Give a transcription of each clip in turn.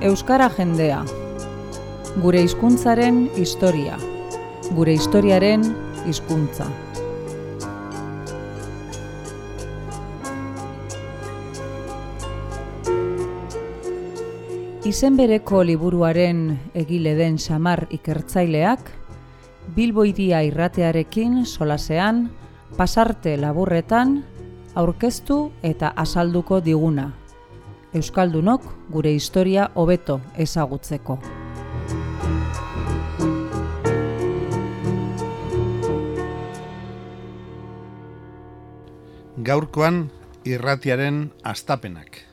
Euskara jendea. Gure hizkuntzaren historia. Gure historiaren hizkuntza. Izen bereko liburuaren egile den Xamar ikertzaileak, Bilbo Hiria irratearekin solasean, pasarte laburretan, aurkeztu eta azalduko diguna. Euskaldunok gure historia hobeto ezagutzeko. Gaurkoan irratiaren hastapenak.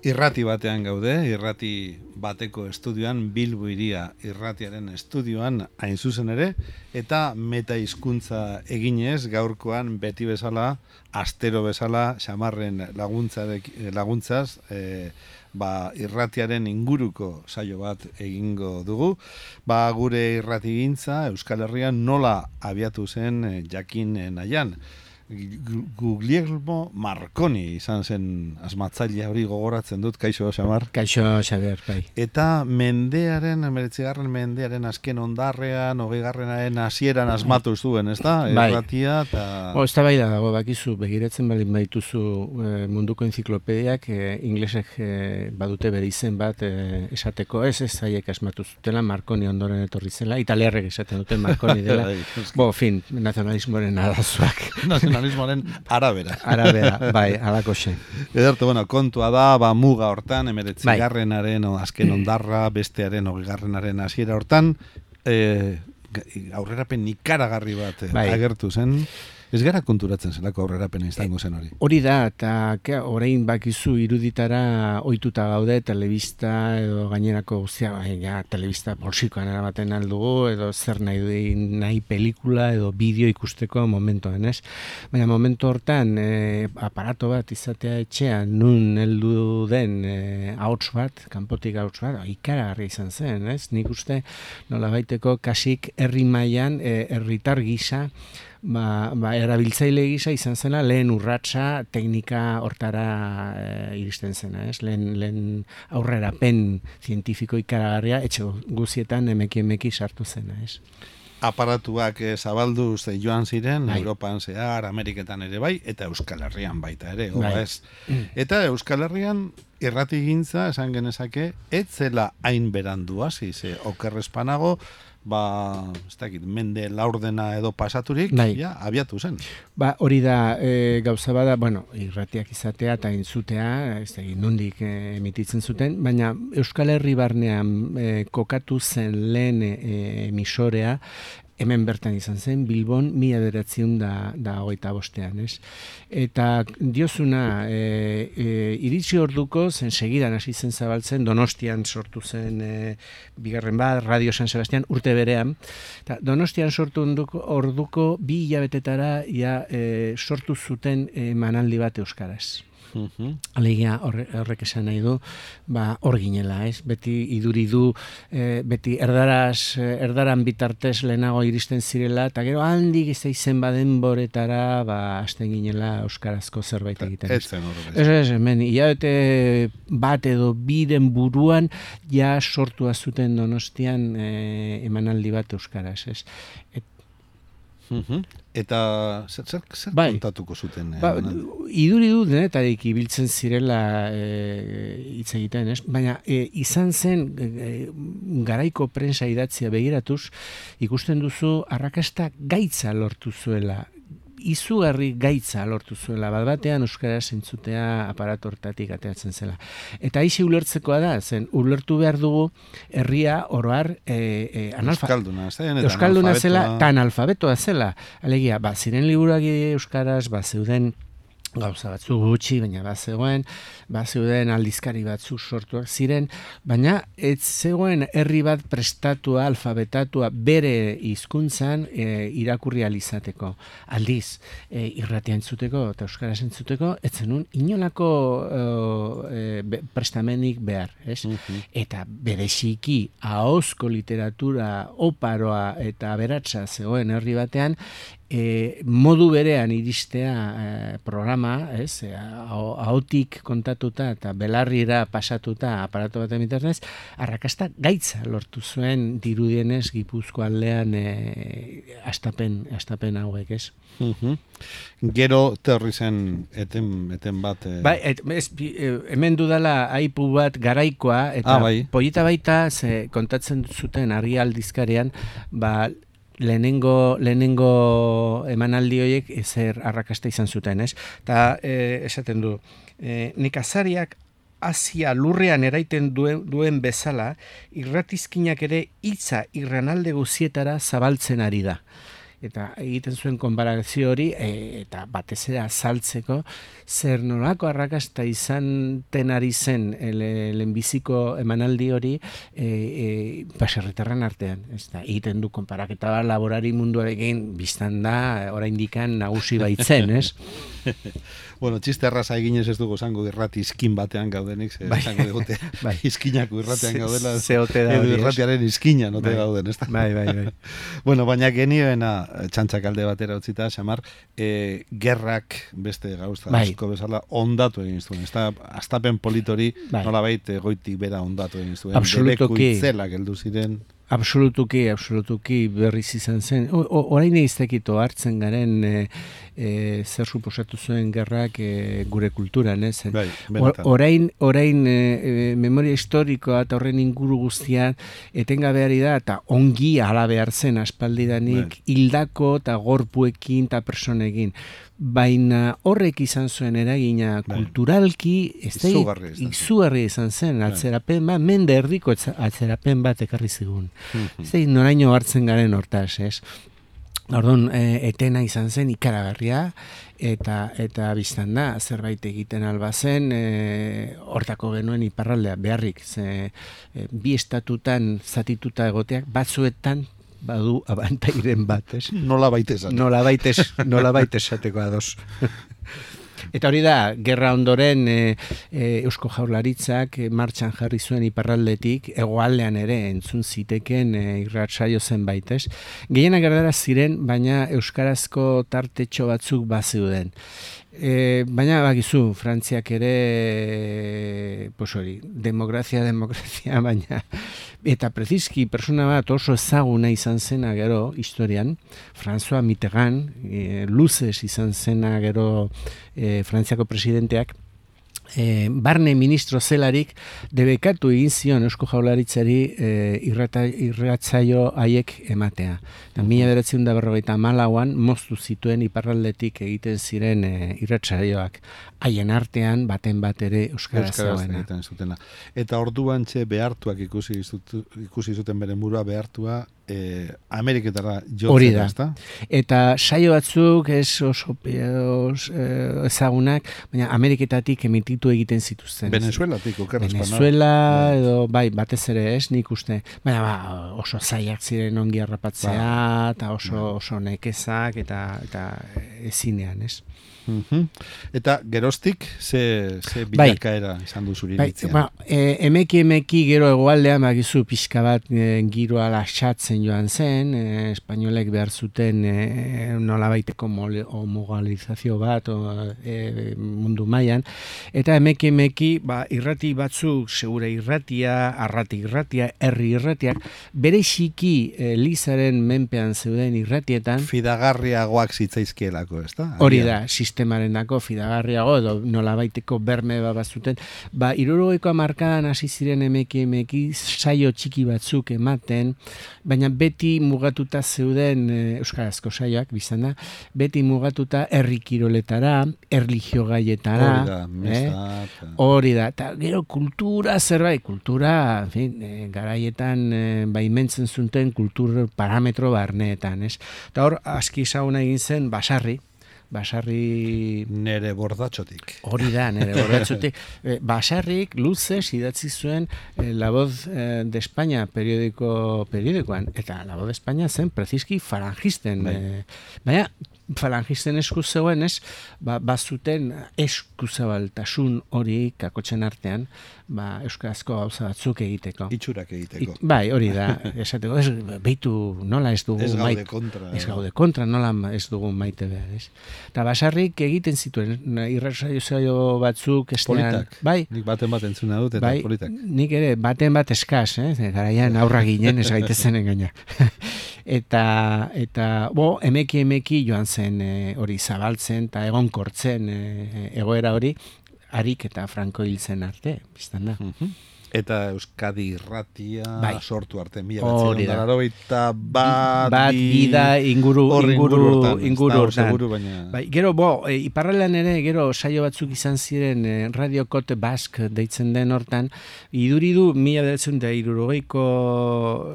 Irrati batean gaude, irrati bateko estudioan, Bilbo Hiria irratiaren estudioan hain zuzen ere, eta meta-hizkuntza eginez gaurkoan beti bezala, astero bezala, Xamarren laguntzaz, irratiaren inguruko saio bat egingo dugu. Gure irratigintza Euskal Herrian nola abiatu zen jakin nahian. Guglielmo Marconi izan zen asmatzailea hori gogoratzen dut, kaixo Xamar? Kaixo Xabier, bai. Eta mendearen, 19. mendearen azken ondarrean, 20. hasieran asmatu zuen, ez da? Bai. Irratia eta... Ez da bai da dago, bakizu, begiratzen balin baituzu munduko enziklopediak, inglesek badute bere izen bat esateko, ez haiek asmatu zutela, Marconi ondoren etorri zela, italiarrek esaten duten Marconi dela, nazionalismoaren arazoak. Nazionalismoaren arabera. Arabera, bai, alako zen. Ederto, kontua da, muga hortan, 19. azken ondarra, bestearen 20. hasiera hortan, aurrerapen ikaragarri bat agertu zen. Ez gara konturatzen zelako aurrerapena izango zen hori. Hori da, eta orain bakizu iruditara ohituta gaude, telebista edo gainerako guztia, telebista poltsikoan eramaten aldugu, edo zer nahi pelikula edo bideo ikusteko momentoan, ez? Baina momentu hortan, aparato bat izatea etxean, nun heldu den ahots bat, kanpotik ahots bat, ikaragarri izan zen, ez? Nik uste nola baiteko kasik herri mailan, herritar gisa, erabiltzaile gisa izan zela lehen urratsa teknika hortara iristen zena, ez? Lehen aurrerapen zientifiko ikaragarria etxe guzietan emeki sartu zena, ez? Aparatuak zabalduz joan ziren, Europan zehar, Ameriketan ere bai, eta Euskal Herrian baita ere, ez? Eta Euskal Herrian irratigintza, esan genezake, ez zela hain berandu hasi, ze okerrezpanago, ez dakit, mende laurdena edo pasaturik, abiatu zen. Hori da, gauza bada, irratiak izatea eta entzutea, ez dakit, nondik emititzen zuten, baina Euskal Herri barnean kokatu zen lehen emisorea, hemen bertan izan zen, Bilbon 1925, ez? Eta diozuna, iritsi orduko, zen segidan hasi zen zabaltzen, Donostian sortu zen bigarren bat, Radio San Sebastián, urte berean. Eta Donostian sortu orduko 2 hilabetetara sortu zuten manaldi bat euskaraz. Alegia horrek esan nahi du, hor ginela, ez? Beti iduri du, beti erdaran bitartez lehenago iristen zirela, eta gero handik izen badenboretara, hasten ginela euskarazko zerbait egiten. Ez zen horrek. Ez, hemen, hilabete bat edo biren buruan, sortua zuten Donostian emanaldi bat euskaraz, ez? Eta zer kontatuko zuten? Iduri du denetarik ibiltzen zirela hitz egiten, ez? Baina izan zen garaiko prensa idatzia begiratuz, ikusten duzu arrakasta gaitza lortu zuela. Izugarri gaitza lortu zuela, batean euskaraz entzutea aparatu hortatik ateratzen zela. Eta aixi ulertzekoa da, ulertu behar dugu herria oroar euskalduna zela, tan alfabetoa zela. Alegia, ziren liburuak euskaraz, zeuden gauza batzu gutxi, baina bazeuden aldizkari batzu sortuak ziren, baina ez zegoen herri bat prestatua, alfabetatua bere hizkuntzan irakurri alizateko. Aldiz, irratia entzuteko eta euskaraz entzuteko, ez zenun inolako prestamenik behar, ez? Eta bereziki ahozko literatura oparoa eta aberatsa zegoen herri batean, modu berean iristea programa, ez, ahotik kontatuta eta belarrira pasatuta aparatu baten bitartez, arrakasta gaitza lortu zuen dirudienez Gipuzkoa aldean astapen hauek, ez? Gero terri zen eten bat... Hemen dudala aipu bat garaikoa, eta polita baita kontatzen zuten Argi aldizkarian, lehenengo emanaldi horiek ezer arrakasta izan zuten, ez? Eta esaten du, nekazariak Asia lurrean eraiten duen bezala, irratizkinak ere hitza irranalde guzietara zabaltzen ari da. Eta egiten zuen konparazio hori, eta batez ere azaltzeko, zer nolako arrakasta izan tenari zen lehenbiziko emanaldi hori baserritarren artean. Egiten du konparaketa bat laborari munduarekin biztan da, oraindikan nagusi baitzen, ez? Bueno, txiste erraza eginez ez dugu zango irrati izkin batean gaudenik, zango digute izkinako irratean gaudela, edo irratiaren izkina note gauden, ez da? Bai. Bueno, baina genioena txantxak alde batera utzita, Xamar, gerrak beste gauza asko bezala ondatu egin zuen, ez da, astapen politori nolabait goitik bera ondatu egin zuen, debeku itzelak heldu ziren... Absolutuki berriz izan zen. Orain eiztekito hartzen garen zer suposatu zuen gerrak gure kulturan, ez? Orain memoria historikoa eta horren inguru guztian etengabeari da eta ongi ala behar zen aspaldidanik hildako eta gorpuekin eta personekin. Baina horrek izan zuen eragina kulturalki izugarri izan zen, atzerapen bat, mende erdiko atzerapen bat ekarri zigun. Noraino hartzen garen hortaz, ez? Orduan, etena izan zen ikaragarria, eta biztan da, zerbait egiten alba zen, hortako genuen iparraldea beharrik, bi estatutan zatituta egoteak, batzuetan, badu abantairen bat, ez? Nola baita esateko ados. Eta hori da, gerra ondoren Eusko Jaurlaritzak martxan jarri zuen iparraldetik, hegoaldean ere entzun ziteken irratsaio zenbait, ez? Gehienak erdara ziren, baina euskarazko tartetxo batzuk bazeuden. Baina bakizu, Frantziak ere demokrazia, baina eta prezizki persona bat oso ezaguna izan zena gero historian, François Mitterrand, luzez izan zena gero Frantziako presidenteak, barne ministro zelarik debekatu egin zion Eusko Jaurlaritzari irratsaio haiek ematea. 1954an moztu zituen iparraldetik egiten ziren irratsaioak. Haien artean baten bat ere euskaraz zegoena. Eta orduan behartuak ikusi zuten bere burua behartua Ameriketara jotzera, ezta? Eta saio batzuk ez oso ezagunak, baina Ameriketatik emititu egiten zituzten. Venezuelatik, Venezuela edo batez ere ez, nik uste. Baina oso zaiak ziren ongi harrapatzea, eta oso nekezak, eta ezinean, ez? Eta geroztik ze bilakaera izan du zuri iritzia? Emeki gero hegoaldean bakizu pixka bat giroa lasatzen joan zen, espainolek behar zuten nolabaiteko homogalizazio bat mundu mailan, eta emeki irrati batzuk, segure irratia, arrati irratia, herri irratiak, bereziki Lizaren menpean zeuden irratietan fidagarriagoak zitzaizkielako, ezta? Hori da, sistemarendako fidagarriago edo nolabaiteko berme bazuten. 70ko hamarkadan hasi ziren emeki saio txiki batzuk ematen, baina beti mugatuta zeuden euskarazko saioak, biztan da, beti mugatuta herri kiroletara, erlijio gaietara. Hori da, eta gero kultura zerbait, kultura, garaietan baimentzen zuten kultur parametro barneetan, ez? Eta hor, aski ezaguna egin zen Basarri... Nere bordatxotik. Hori da, nere bordatxotik. Basarrik luzez idatzi zuen La Voz de España periodikoan. Eta La Voz de España zen prezizki farangisten. Baina falangisten esku zegoen, ez, bazuten eskuzabaltasun hori kakotxen artean, euskarazko gauza batzuk egiteko. Itxurak egiteko. Bai, hori da, esateko, behitu nola ez dugu maite. Ez gaude kontra, nola ez dugu maite behar, ez. Eta Basarrik egiten zituen, irratsaio batzuk, politak. Bai. Nik baten bat entzuna dut, eta bai, politak. Nik ere, baten bat eskaz, garaian aurra ginen, ez gaitezenen gaina. Eta emeki joan zen hori zabaltzen, eta egonkortzen egoera hori, Harik eta Franco hil zen arte, biztan da. Eta Euskadi Irratia sortu arte, 1981 bat bida inguru hortan. Baina... Gero, iparraldean ere, gero saio batzuk izan ziren Radio Cote Basque deitzen den hortan, iduridu 1960ko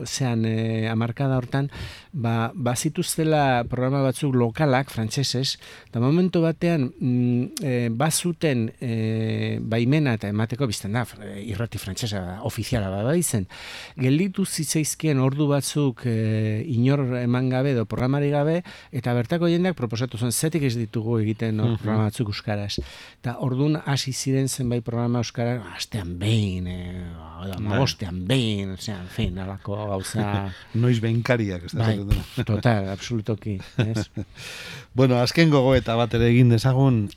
zean hamarkada hortan, bazituztela programa batzuk lokalak, frantsesez, eta momentu batean bazuten baimena eta emateko bizten da, irrati frantsesa ofiziala izen. Gelditu zitzaizkien ordu batzuk inor eman gabe edo programari gabe, eta bertako jendeak proposatu zen, zetik ez ditugu egiten programa batzuk euskaraz. Eta orduan hasi ziren zenbait programa euskaraz, astean behin, magostean behin, en fin, alako gauza... Noiz behinkariak, ez da? Total, absolutoki. Bueno, azken gogoeta bat ere egin dezagun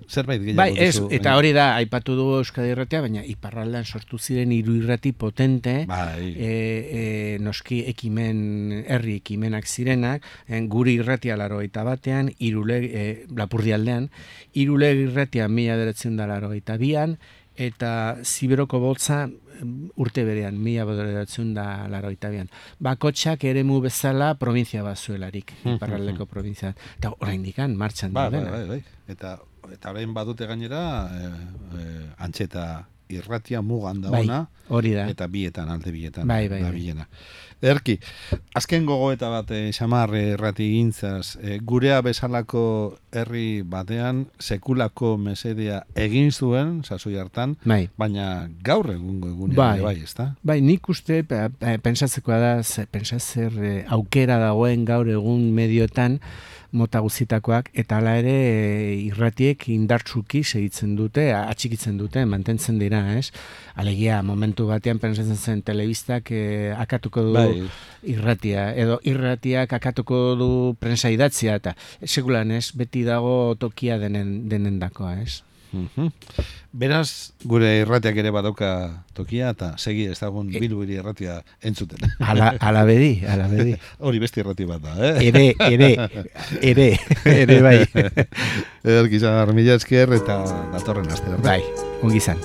zerbait gehiago duzu. Eta hori da, aipatu dugu Euskadi Irratia, baina iparraldean sortu ziren 3 irrati potente, noski herri ekimenak zirenak, guri irratia 81ean, Lapurdialdean, Iruleg irratia 1982an, eta Ziberoko Boltza urte berean, 1982an. Bakotxak eremu bezala provintzia bazuelarik, iparraldeko provintzia. Eta oraindikan martxan daudena. Bai. Eta orain badute gainera, Antxeta Irratia mugan dauna, hori da. Eta bietan, alde bietan. Bai. Erki, azken gogoeta bat Xamar irrati gintzaz, gurea bezalako herri batean sekulako mesedea egin zuen, sasoi hartan, baina gaur egungo egunean bai, ezta? Bai, nik uste, pentsatzekoa da, pentsazer aukera dagoen gaur egun medioetan, mota guztitakoak, eta hala ere irratiek indartsuki segitzen dute, atxikitzen dute, mantentzen dira, ez? Alegia, momentu batean pentsatzen zen telebistak akatuko du irratia, edo irratiak akatuko du prensa idatzia, eta sekulan ez, beti dago tokia denendakoa, ez? Beraz, gure irratiak ere badauka tokia, eta segi ez dagoen Bilbiri irratia entzuten. Ala bedi. Hori beste irrati bat da, Ere bai. Erkizar, mila esker eta datorren astera. Bai, ongi izan.